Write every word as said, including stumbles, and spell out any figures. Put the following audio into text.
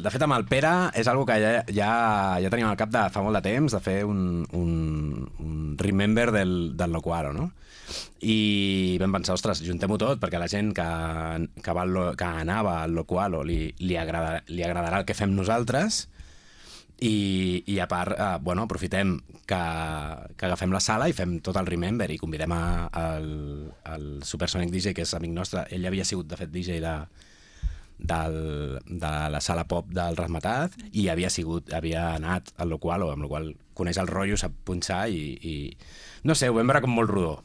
De fet, amb el Pere és algo que ja, ja, ja teníem al cap de fa molt de temps, de fer un, un, un remember del, del Locuaro, no? I vam pensar, ostres, juntem-ho tot, perquè la gent que, que, va, al Lo- que anava al Locualo li, li, agrada, li agradarà el que fem nosaltres, i, i a part, eh, bueno, aprofitem que, que agafem la sala i fem tot el remember i convidem a, al, al Supersonic D J, que és amic nostre. Ell havia sigut, de fet, D J de, del, de la sala pop del Razmataz i havia sigut, havia anat al Locualo, amb la qual coneix el rotllo, sap punxar i, i no sé, ho vam veure com molt rodó.